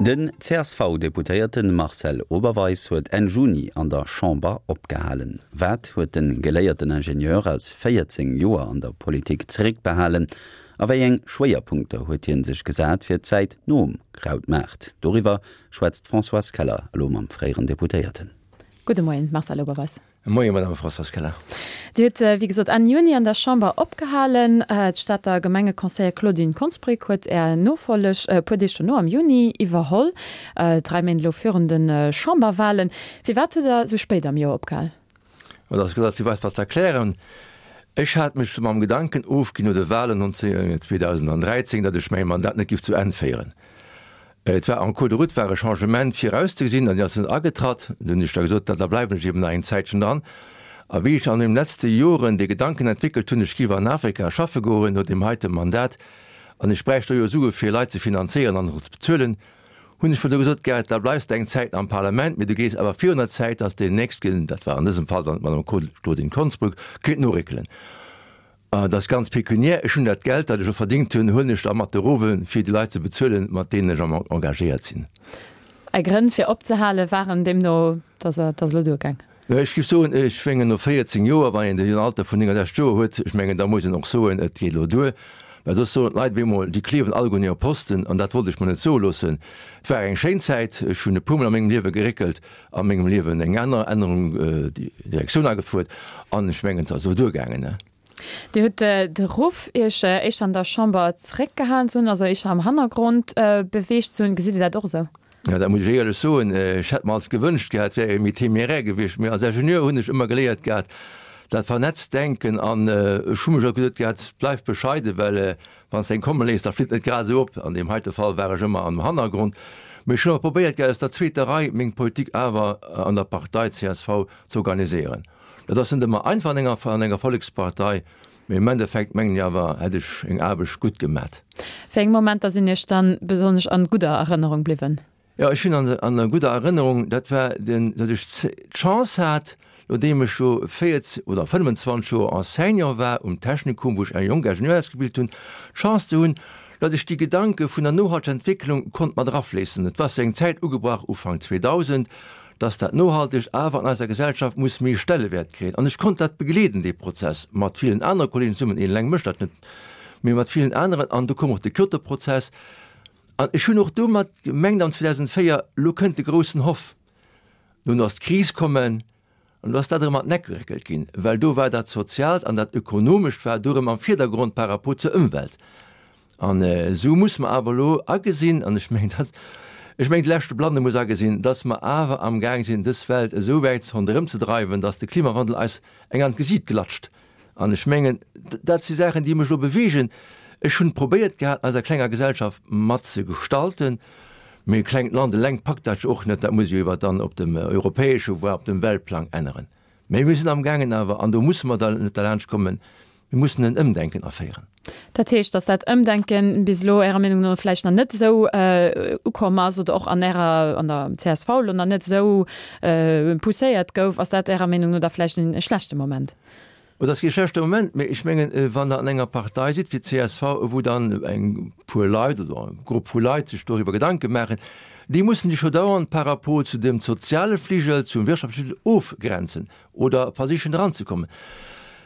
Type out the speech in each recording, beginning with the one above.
Den CSV-Deputéierte Marcel Oberweis huet Enn Juni an der Chamber opgehalen. Wat huet de geléierten Ingenieur aus 14 Joer an der Politik zeréckbehalen a wéi eng Schwéierpunkter huet hie sech gesat fir d'Zäit nom Krautmaart? Doriwwer schwätzt d'Françoise Keller elo mam fréieren Deputéierten. Gudde Moien, Marcel Oberweis. Moie Madame Françoise Keller. Dir hutt, wéi gesot, Enn Juni an der Chamber opgehalen. D'Stater Gemengeconseiller Claudine Konsbrück huet Är Nofolleg e puer Deeg dono, am Juni, iwwerholl, 3 Méint elo virun de Chamberwahlen. Firwat hutt Der esou spéit am Joer opgehal? Dat ass relativ einfach ze erklären. Ech hat mech mam Gedanken ofginn no de Wahlen 2013, datt ech mäi Mandat net géif zu Enn féieren. Et war en cours de route war e Changement virauszegesinn an déi ass net agetratt. Dunn hunn ech da gesot, da bleiwen ech eben nach eng Zäitchen dran. A wéi ech an deenen letzte Joren dee Gedanken entwéckelt hunn, ech géif an Afrika schaffe goen no deem heite Mandat an ech bräicht do jo Sue fir Leit ze finanzéieren an och ze bezuelen, hunn ech mer du gesot, Gerrit, da bleifs de eng Zäit am Parlament, mee du gees awer virun der Zäit, datt deen Nächstgen, dat war an dësem Fall dann d'Madame Claudine Konsbruck, kéint noréckelen. Dat ass ganz pekuniär. Ech hunn dat Geld, dat ech elo verdingt hunn, huelen ech da mat erof, fir déi Leit ze bezuelen, mat deenen ech am engagéiert sinn. Är Grënn fir opzehale waren deemno, dass et ass elo duergaang? Ech géif soen, ech mengen no 14 Joer, wann een den Alter vun 69 Joer huet, ech mengen da muss een och soen, et geet elo duer. Well soss soen d'Leit op eemol, déi kliewen alleguer un hire Posten an dat wollt ech mer net soe loossen. Et war eng schéin Zäit, ech hunn e puermol a mengem Liewe geréckelt, a mengem Liewen eng aner Ännerung, Direktioun agefuert an ech mengen, et ass elo duergaangen. Dir hutt de Ruff, Iech éischter an der Chamber zeréckgehalen ze hunn, also éischter am Hannergrond beweegt ze hunn. Gesitt Dir dat och esou? Jo, dat muss ech éierlech soen. Ech hätt mer alt gewënscht gehat, et wär ee méi témérär gewiescht. Mee als Ingenieur hunn ech ëmmer geléiert gehat, dat vernetzt Denken an ech hu mech och gesot gehat, bleif bescheiden, well Wann s de eng komme léiss, da flitt net grad esou op. An deem heite Fall war ech ëmmer am Hannergrond. Mee ech hunn awer probéiert, gell, aus der zweeter Rei meng Politik awer an der Partei csv ze organiséieren. Dat ass net ëmmer einfach an enger, an enger Vollekspartei, mee am Endeffekt mengen ech awer, hätt ech eng Aarbecht gutt gemat. Wéi eng Momenter sinn Iech dann besonnesch an gudder Erënnerung bliwwen? Jo, ech hunn an an gudder Erënnerung, dat war den, datt ech d'Chance hat, nodeem ech jo 14 oder 25 Joer Enseignant war um Technikum, wou ech eng jonk Ingenieur ausgebilt hunn, d'Chance ze hunn, datt ech déi Gedanke vun der nohalteger Entwécklung konnt mat erafléissen. Et war zu eng Zäit ugebrach, Ufank 2000, datt dat Nohaltegt awer an eiser Gesellschaft muss méi Stellewäert kréien. An ech konnt dat begleeden, dee Prozess, mat villen anere Kollegen zesummen, een eleng mécht dat net, mee mat villen aneren. An du koum och de Kyoto-Prozess. An ech hunn och domat gemengt am 2004, elo kënnt de groussen Hoff. Nun ass d'Kris kommen an do ass dat erëm an d'Neck geréckelt ginn, well do war dat Soziaalt an dat Ökonomescht war do erëm am Virdergrond par rapport zur Ëmwelt. An esou muss mer awer elo agesinn, an ech mengen dat, ech mengen de leschte Blande muss agesinn, dass mer awer amgaang sinn, dës Welt esou wäit ronderëm ze dreiwen, dass de Klimawandel eis eng an d'Gesiit klatscht. An ech mengen, dat si Saachen, déi mech elo beweegen. Ech hunn probéiert gehat, an eiser klenger Gesellschaft mat ze gestalten, mee e klengt Land eleng packt dat jo och net. Dat muss jo iwwer dann op dem europäesche, voire op dem Weltplang änneren. Mee mir sinn amgaangen awer, an do musse mer dann net derlaanscht kommen, mir mussen en Ëmdenken aféieren. Dat heescht, datt dat Ëmdenken bis elo Ärer Meenung no vläicht nach net esou ukomm ass oder och an Ärer, an der csv elo nach net esou pousséiert gouf. Ass dat Ärer Meenung no da vläicht e schlechte Moment? Et ass kee schlechte Moment, mee ech mengen, wann Der an enger Partei sidd wéi d'CSV, wou dann eng puer Leit oder e Grupp vu Leit sech doriwwer Gedanke maachen, déi mussen sech jo dauernd par rapport zu dem soziale Fligel, zum wirtschaftleche Fligel ofgrenzen oder versichen eranzekommen.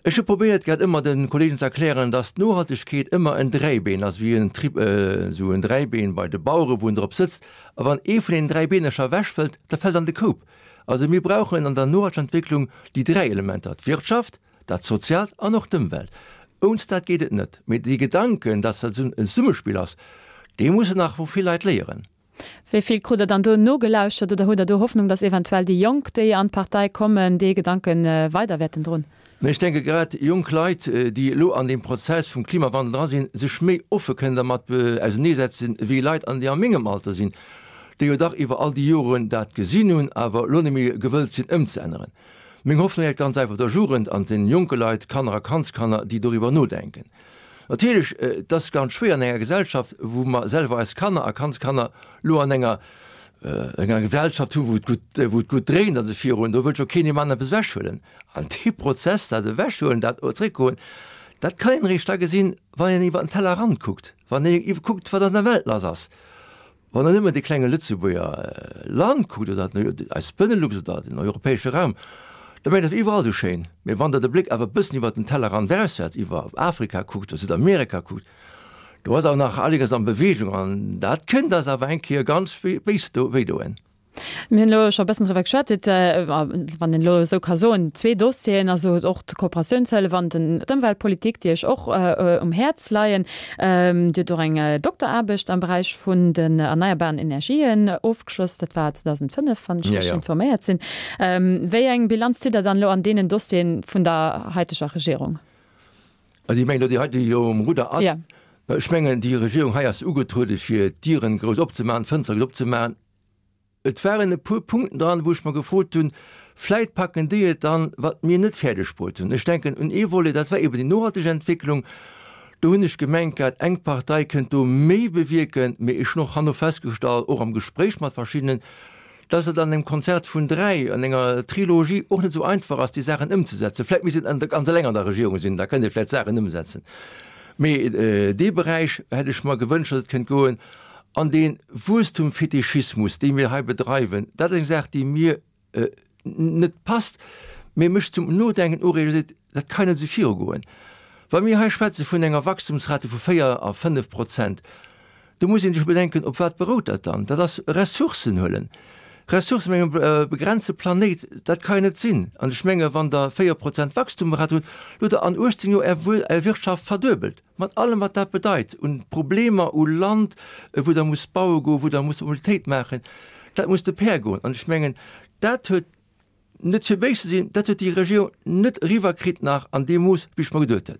Ech hu probéiert grad ëmmer de Kollegen ze erklären, dass d'Nohaltegkeet ëmmer en Dräibeen ass, wéi en Trip, esou en Dräibeen bei de Bauere wou en drop sëtzt, a wann ee vun deenen dräi Beenercher ewechfëllt, da fält an de Koup. Also mir brauchen an der nohalteger Entwécklung déi dräi Elementer, d'Wirtschaft, dat Soziaalt an och d'Ëmwelt. Ounst dat geet et net. Mee dee Gedanken, dass dat esou en Zesummespill ass, dee mussen nach vill Leit léieren. Wéi vill krut Der dann do nogelauschtert oder hutt Der do Hoffnung, dass eventuell déi Jonk, déi an d'Partei kommen, dee Gedanke weider wäerten droen? Mä ech denke grad jonk Leit, déi elo an deem Prozess vum Klimawandel dra sinn, sech méi offe kënnen dermat auserneesetzen, wéi Leit, an déi a mengem Alter sinn, déi jo dach iwwer all déi Joren dat gesinn hunn, awer elo net méi gewëllt sinn ëmzeänneren. Meng Hoffnung läit ganz einfach op der Jugend an den jonke Leit, Kanner a Kandskanner, déi doriwwer nodenken. Natierlech, et ass ganz schwéier an enger Gesellschaft, wou mer selwer eis Kanner a Kandskanner elo an enger enger Gesellschaft hu wou et gutt, wou et gutt dréint a se virun, do wëllt jo keen deem aneren eppes ewechhuelen. An dee Prozess, dat Ewechhuelen, dat Zréckgoen, dat kann een eréischt da gesinn, wann een iwwer den Tellerrand kuckt, wann ee kuckt, wat an der Welt lass ass. Wann Der nëmmen dee klenge Lëtzebuerger Land kuckt oder eis Benelux oder den europäesche Raum, da mengt Der, et wier iwwerall esou schéin. Mee wann Der de Bléck awer e bëssen iwwert den Tellerrand erauswäert, iwwer Afrika kuckt oder Südamerika kuckt, do ass awer nach einiges an Bewegung an dat kënnt eis awer eng Kéier ganz béis wéidoen. Mir hunn elo scho e bëssen driwwer geschwat, et, wann een elo esou ka soen, zwee Dossieren, also och d'Kooperatiounshëllef an den, d'Ëmweltpolitik, déi Iech och um Häerz leien. Dir hutt och eng Dokteraarbecht am Beräich vun den erneierbaren Energien ofgeschloss, dat war 2005, wann ech richteg informéiert sinn. Wéi eng Bilanz zitt Der dann elo an deenen Dossieren vun der haiteger Regierung? Also ech mengen, datt déi hei, déi elo um Rudder ass, ech mengen, déi Regierung hei ass ugetruede fir d'Dieren grouss opzemaachen, d'Fënstere grouss opzemaachen. Et waren e puer Punkten dran, wou ech mer gefrot hunn, vläit packen déi et dann, wat mir net fäerdeg bruet hunn. Ech denken un ee Volet, dat war eben déi nohalteg Entwécklung. Do hunn ech gemengt gehat, eng Partei kënnt do méi bewierken, mee ech hunn och herno festgestallt, och am Gespréich mat verschiddenen, dass et an engem Konzert vun dräi, an enger Trilogie och net esou einfach ass, déi Saachen ëmzesetzen. Vläit misst een ganz eleng an der Regierung sinn, da kënnt ee vläit Saachen ëmsetzen. Mee dee Beräich hätt ech mer gewënscht, dass et kënnt goen. An dee Wuesstumfetischismus, dee mir hei bedreiwen, dat ass eng Saach, déi mir net passt, mee mech zum Nodenken ureegt a seet, dat kann net esou virugoen. Wa mir hei schwätze vun enger Wachstumsrate vu 4 a 5 Prozent, do muss ee sech bedenken, op wat berout dat dann? Dat ass Ressourcen huelen, Ressourcen op engem begrenze Planéit, dat ka jo net sinn. An ech menge wann Der 4 Prozent Wachstumrate hutt, hutt Der an 18 Joer Är Wirtschaft verduebelt. Mat allem wat dat bedeit un Problemer u Land, wou Der musst baue goen, wou Der musst Mobilitéit maachen, dat muss de pair goen. An ech mengen, dat huet, net fir béis ze sinn, dat huet déi Regierung net eriwwerkritt nach an deem Mooss, wéi ech mer geduet hätt.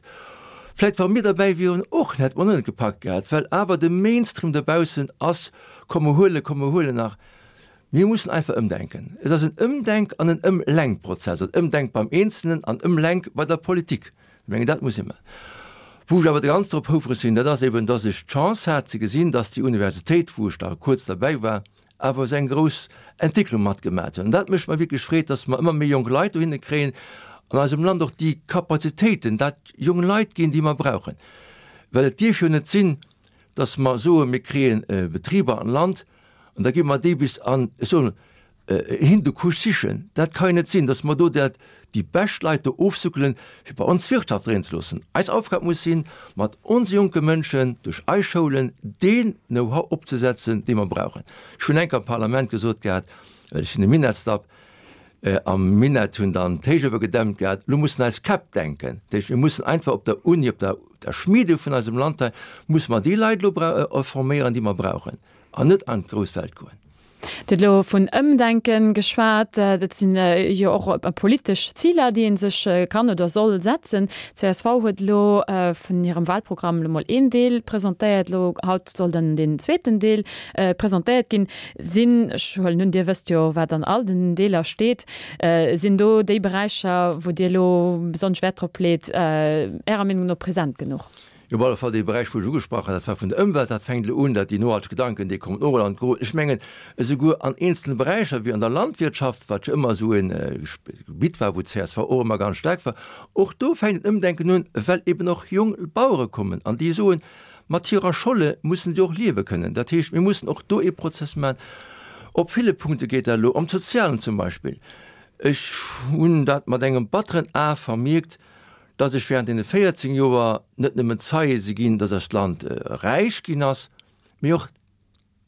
Vläicht wa mir derbäi wieren och, hätte mer och net gepackt gehat, well awer de Mainstream dobaussen ass, komm mer huelen, komm mer huelen nach. Mir mussen einfach ëmdenken. Et ass en Ëmdenk an en Ëmlenkprozess, en Ëmdenk beim Eenzelnen an Ëmlenk bei der Politik. Ech mengen, dat muss ee maachen. Wou ech awer ganz drop houfreg sinn, dat ass eben, dass ech d'Chance hat ze gesinn, dass déi Universitéit, wou ech da kuerz derbäi war, awer esou eng grouss Entwécklung matgemat huet. An dat mécht mer wierklech Freed, dass mer ëmmer méi jonk Leit dohinne kréien an eisem Land och déi Capacitéiten, dat jong Leit ginn, déi mer brauchen. Well et dierf jo net sinn, dass mer soen, mir kréie Betriber an d'Land an da gi mer déi bis an, ech soen, Hindukusch sichen. Dat ka jo net sinn, dass mer do dat, déi bescht Leit do ofsuckelen, fir bei ons d'Wirtschaft dréien ze loossen. Eis Aufgab muss sinn, mat onse jonke Mënschen duerch eis Schoulen deen Know-how opzesetzen, dee mer brauchen. Ech hunn enk am Parlament gesot gehat, well ech sinn e Minettsdapp, am Minett hunn dann d'Héichuewe gedämmt gehat, elo mussen eis Käpp denken. Dat heescht, mir mussen einfach op der Uni, op der Schmiede vun eisem Land hei, musse mer déi Leit elo forméieren, déi mer brauchen, an net an d'grouss Welt goen. Dir hutt elo vun Ëmdenken geschwat. Dat sinn jo och politesch Ziler, déi ee sech kann oder soll setzen. Csv huet elo vun hirem Wahlprogramm elo mol een Deel presentéiert. Elo haut soll dann deen zweeten Deel presentéiert ginn. Sinn, ech huelen un, Dir wësst jo, wat an all den Deeler steet, sinn do déi Beräicher, wou Dir elo besonnesch Wäert drop leet, Ärer Meenung no present genuch? Jo, op alle Fall dee Beräich, wou ech ugesprach hat, dat war vun der Ëmwelt, dat fänkt elo un, dat déi nohalteg Gedanken, déi kommen och elo an d'Gro. Ech mengen, esouguer an eenzele Beräicher wéi an der Landwirtschaft, wat jo ëmmer esou e Gebitt war, wou d'CSV och ëmmer ganz staark war, och do fänkt en Ëmdenken un, well eben och jonk Bauere kommen an déi soen, mat hirer Scholle mussen si och liewe kënnen. Dat heescht, mir mussen och do ee Prozess maachen. Op ville Punkte geet dat elo, am Sozialen zum Beispill. Ech hunn dat mat engem batteren A vermierkt, dass ech während deene 14 Joer net nëmmen Zeie si ginn, dass eist Land räich ginn ass, mee och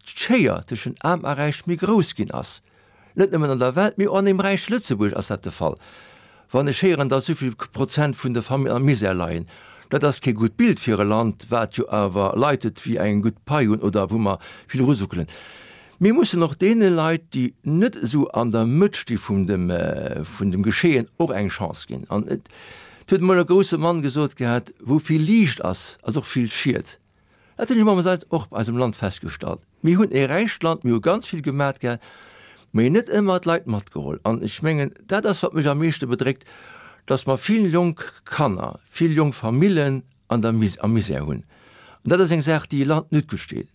d'Schéier tëschent Aarm a Räich méi grouss ginn ass. Net nëmmen an der Welt, mee och an deem räiche Lëtzebuerg ass dat de Fall. Wann ech héieren, dass esouvill Prozent vun de Familljen am Misär leien, dat ass kee gutt Bild fir e Land, wat jo awer Leit huet, déi eng gutt Pai hunn oder wou mer vill erusuckelen. Mir mussen och deene Leit, déi net esou an der Mëtt sti vum dem, vun dem Geschehen, och eng Chance ginn. An et huet emol e grousse Mann gesot gehat, Wou vill Liicht ass, ass och vill Schied. Dat hunn ech momentan och bei eisem Land festgestallt. Mir hunn e räicht Land, mir hu ganz vill gemat gehat, mee net ëmmer d'Leit matgeholl. An ech mengen, dat ass, wat mech am meeschte bedréckt, dass mer vill jonk Kanner, vill jonk Famillen an der, am Misär hunn. An dat ass eng Saach, déi e Land net gutt steet.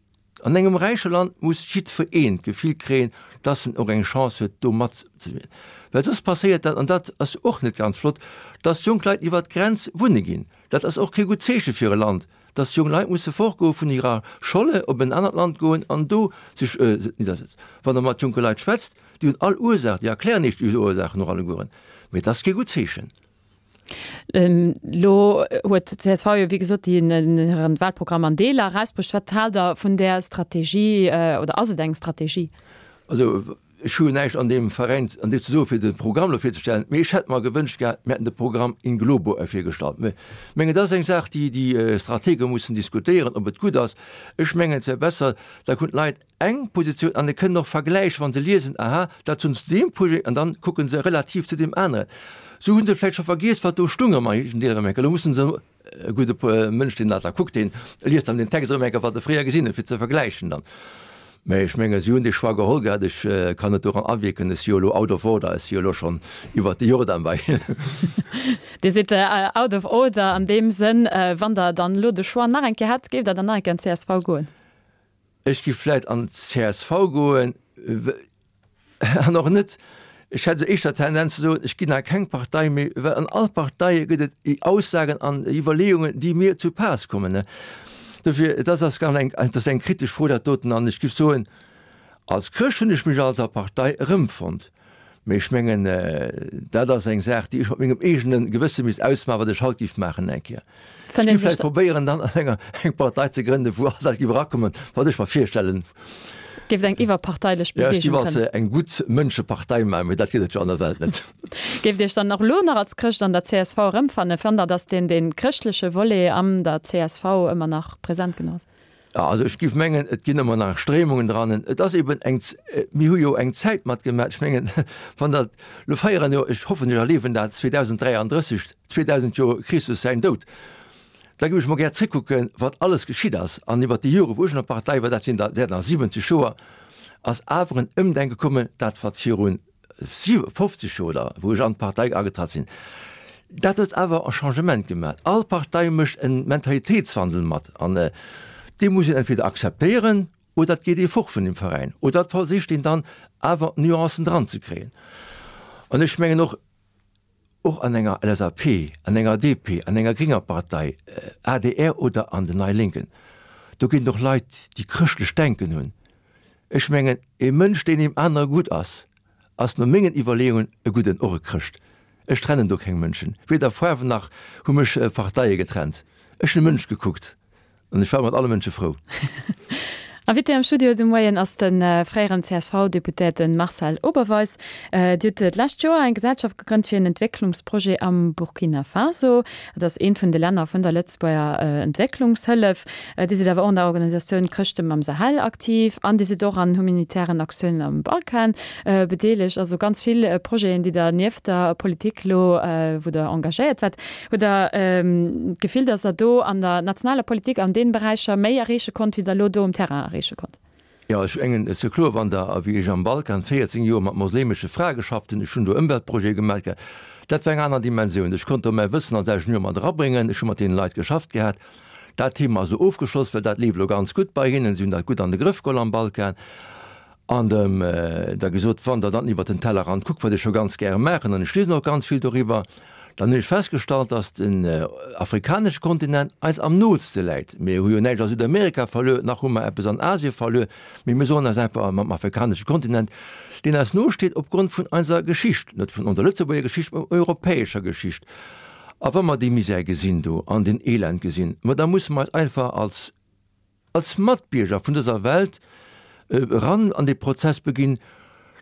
An engem räiche Land muss jiddwereen d'Gefill kréien, dass en och eng Chance huet, do matzewierken. Well soss passéiert dat, an dat ass och net ganz flott, dass jonk Leit iwwert d'Grenz wunne ginn. Dat ass och kee gutt Zeeche fir e Land. Dass jonk Leit musse fortgoe vun hirer Scholle, op en anert Land goen an do sech niddersetzen. Wann Der mat jonke Leit schwätzt, déi hunn all Ursaach, déi erklären Iech déi Ursaachen och allegueren, mee et ass kee gutt Zeechen. Elo huet d'CSV jo wéi gesot hiren Wahlprogramm an Deeler erausbruecht. Wat haalt Der vun där Strategie oder ass et eng Strategie? Also ech hu jo näischt an deem Veräin an deem ze soen, fir de Programm elo virzestellen, mee ech hätt mer gewënscht gehat, mir hätten de Programm in globo virgestallt. Mä mengen, dat ass eng Saach, déi déi Stratege mussen diskutéieren, ob et gutt ass. Ech mengen, et wär besser, da hunn d'Leit eng Positioun an e kënnen och vergläichen, wa se liesen, aha, dat hunn se zu deem Projet, an dann kucke se relativ zu deem aneren. Sou hu se vläicht scho vergiess, wat do stung am éischten Deel erëm eng Kéier. Elo mussen se, e gudde Mënsch, deen dat da kuckt, deen liest dann den Text erëm eng Kéier, wat e fréier gesinn huet, fir ze vergläichen dann. Mä ech menge si hunn dee Choix geholl gehat. Ech kann net doran awierken. Ech si jo elo out of order. Ech si jo elo schonn iwwert de Jordan bei hinnen. Dir sidd out of order an deem Sënn. Wann Der dann elo de Choix nach eng Kéier hätt, géift Der dann nach eng Kéier an d'CSV goen? Ech giff vläit an d'CSV goen, an och net, ech hätt esou éischter d'Tendenz ze soen, ech ginn a keng Partei méi, well an all Parteie gëtt et Aussagen an Iwwerleeungen, déi mir zu Paass kommen. Dofir, et ass ass ganz eng, et ass eng kritesch Fro dat doten, an ech giff soen, als Chrëscht hunn ech mech alt der Partei erëmfonnt. Mee ech mengen, dat ass eng Saach, déi ech mat mengem eegene Gewësse misst ausmaachen, wat ech haut géif maachen eng Kéier. Ech géif vläicht probéieren, dann an enger eng Partei ze grënnen, wou all dat géif erakommen, wat ech mer virstellen. Géift eng iwwerparteilech Beweegung grënnen? Ja, ech géif als eng gutt Mënschepartei maachen, mee dat gëtt et jo an der Welt net. Géift Iech dann och elo nach als Chrëscht an der csv erëmfannen? Fannt Der, datt deen dee chrëschtleche Volet an der csv ëmmer nach present genuch ass? Jo, also ech géif mengen, et ginn ëmmer nach Stréimungen dran. Et ass eben eng, mir hu jo eng Zäit matgemaach. Ech mengen, wann dat, lo feieren jo, ech hoffen, ech erliewen dat, 2033, 2000 Joer Christus säin Doud, da géif ech mol gär zréckkucken, wat alles geschitt ass. An iwwert déi Jore wou ech an der Partei war, dat sinn der, wäerten der 70 Joer, ass awer en Ëmdenke kommen, dat wat virun 50 Joer oder wou ech an d'Partei agetratt sinn, dat huet awer e Changement gemaach. All Partei mécht e Mentalitéitswandel mat an dee muss een entweder akzeptéieren oder et geet ee fort vun deem Veräin oder et versicht een dann awer Nuancen dran ze kréien. An ech mengen och, och an enger LSAP, an enger DP, an enger grénger Partei, adr oder an den Nei Lénken, do ginn et och Leit, déi chrëschtlech Denken hunn. Ech mengen, e Mënsch, deen deem anere gutt ass, ass no mengen Iwwerleeungen e gudden, och e Chrëscht. Ech trennen do keng Mënschen, weder Faarwen nach hu mech Parteie getrennt. Ech hunn e Mënsch gekuckt an ech war mat alle Mënsche frou. Invité am Studio de Moien ass de fréieren CSV-Deputéierte Marcel Oberweis. Dir hutt d'lescht Joer eng Gesellschaft gegrënnt fir en Entwécklungsprojet am Burkina Faso. Dat ass eent vun de Länner vun der Lëtzebuerger Entwécklungshëllef. Dir sidd awer och an der Organisatioun Chrëschte mam Sahel aktiv an Dir sidd och an humanitären Aktiounen am Balkan bedeelegt. Also ganz vill Projeten, déi Der nieft der Politik elo, wou Der engagéiert waart. Hutt Der d'Gefill, datt Der do an der nationaler Politik an deene Beräicher méi erreeche konnt, wéi Der elo do um Terrain erreeche konnt? Jo, ech mengen, et ass jo kloer, wann Der, wéi ech am Balkan 14 Joer mat moslemesche Frae geschafft hunn, ech hunn do Ëmweltprojete gemaach gehat, dat war eng aner Dimensioun. Ech konnt do mäi Wëssen als Ingenieur mat erabréngen, ech hu mat deene Leit geschafft gehat. Dat Thema ass elo ofgeschloss, well dat leeft elo ganz gutt bei hinnen, si hunn dat gutt an de Grëff geholl am Balkan. An dem da gesot, wann Der dann iwwert den Tellerrand kuckt, wat ech jo ganz gäre maachen, an ech liesen och ganz vill doriwwer, dann hunn ech festgestallt, datt den afrikanesche Kontinent eis am nootste läit. Mir hu jo näischt a Südamerika verluer, nach hu mer eppes an Asie verluer, mee mir sollen eis einfach mam afrikanesche Kontinent, deen eis nosteet opgrond vun eiser Geschicht, net vun onser Lëtzebuerger Geschicht, mä europäescher Geschicht, a wa mer dee Misär gesinn do an deen Elend gesinn, ma da musse mer eis einfach als als Matbierger vun dëser Welt eran an dee Prozess beginn,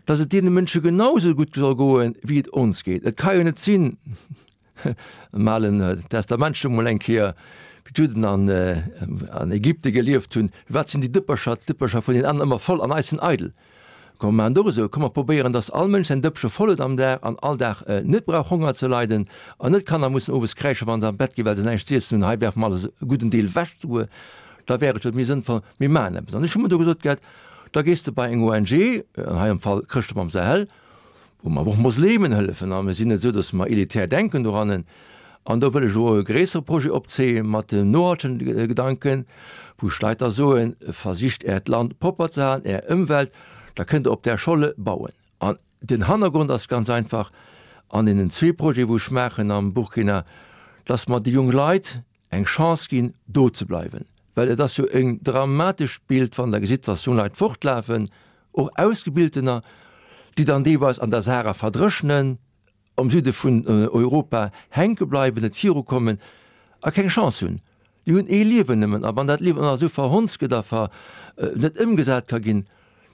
dass et deene Mënsche genau esou gutt soll goen, wéi et ons geet. Et ka jo net sinn, am Alen Testament scho mol eng Kéier, wéi d'Judden an an Ägypte gelieft hunn, Wat sinn déi Dëppercher, d'Dëppercher vun den aneren ëmmer voll an eis sinn eidel. Komm mer maachen et och esou, komm mer probéieren, dass all Mënsch säin Dëppche voll huet am Dag an all Dag net brauch Honger ze leiden an net d'Kanner mussen owes kräische wa se an d'Bett ginn, well se näischt z'iessen hunn. Hei werfe mer alles e gudden Deel ewech souguer. Da wär et jo méi sënnvoll, mir maachen eppes. An ech hu mer do gesot gehat, da gees de bei eng ONG, an hei am Fall Chrëschte mam Sahel, wou mer awer och Moslemen hëllefen, a mir sinn net esou, datt mer elitär denken dorannen, an do wëll ech elo e gréissere Projet opzéie mat dem nohaltegen Gedanken, wou ech Leit da soen, versicht äert Land propper ze halen, är Ëmwelt, da kënnt der op där Scholle bauen. An den Hannergrond ass ganz einfach, an deenen zwee Projete wou ech maachen am Burkina, datt mer déi jonk Leit. eng Chance ginn, do ze bleiwen. Well et ass jo en dramatescht Bild, wann Der gesitt, dass jong Leit fortlafen, och Ausgebiltener, déi dann deelweis an der Sahara verdréchnen, am Süde vun Europa hänke bleiwen, net virukommen a keng Chance hunn. Déi hunn ee Liewen nëmmen, a wann dat Liewen och nach esou verhonzt gëtt a ver net ëmgesat ka ginn,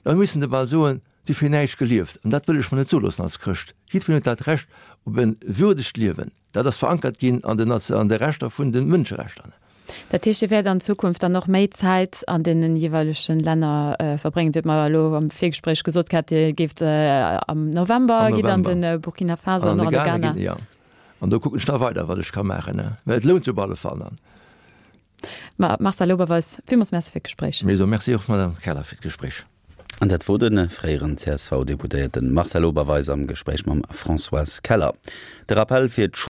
da mussen se bal soen, si hu fir näischt gelieft. An dat wëll ech mer net soe loossen als Chrëscht. Jiddwereen huet dat Recht op e würdegt Liewen. Dat ass verankert ginn an den an de Rechter vun de Mënscherechter. Dat heescht, Dir wäert an Zukunft dann och méi Zäit an deenen jeeweilegen Länner verbréngen. Dir hutt mer elo am Virgespréich gesot gehat, Dir géift am November, gitt an de Burkina Faso an och an de Ghana. Jo, an do kucken ech da weider, wat ech ka maachen, well et lount sech op alle Fall dann. Ma Marcel Oberweis, villmools Merci fir d'Gespréich. Mir soe Merci och, Madame Keller, fir d'Gespréich. An dat wor de fréieren CSV-Deputéierte Marcel Oberweis am Gespréich mam Françoise Keller. De Rappell fir d'Schoul.